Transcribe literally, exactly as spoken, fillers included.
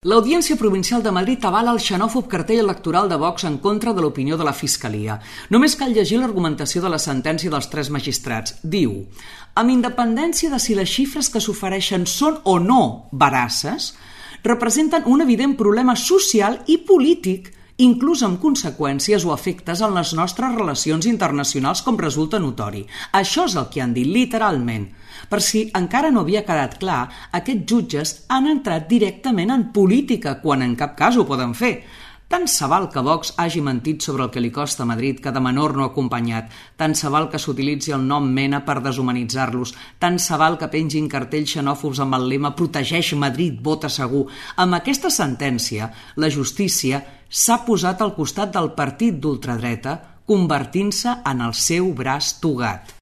L'Audiència Provincial de Madrid avala el xenòfob cartell electoral de Vox en contra de l'opinió de la Fiscalia. Només cal llegir l'argumentació de la sentència dels tres magistrats. Diu: amb independència de si les xifres que s'ofereixen són o no veraces, representen un evident problema social i polític, inclús amb conseqüències o efectes en les nostres relacions internacionals, com resulta notori. Això és el que han dit, literalment. Per si encara no havia quedat clar, aquests jutges han entrat directament en política, quan en cap cas ho poden fer. Tant se val que Vox hagi mentit sobre el que li costa a Madrid cada menor no acompanyat, tant se val que s'utilitzi el nom Mena per deshumanitzar-los, tant se val que pengin cartells xenòfobs amb el lema «Protegeix Madrid, vota segur». Amb aquesta sentència, la justícia s'ha posat al costat del partit d'ultradreta, convertint-se en el seu braç togat.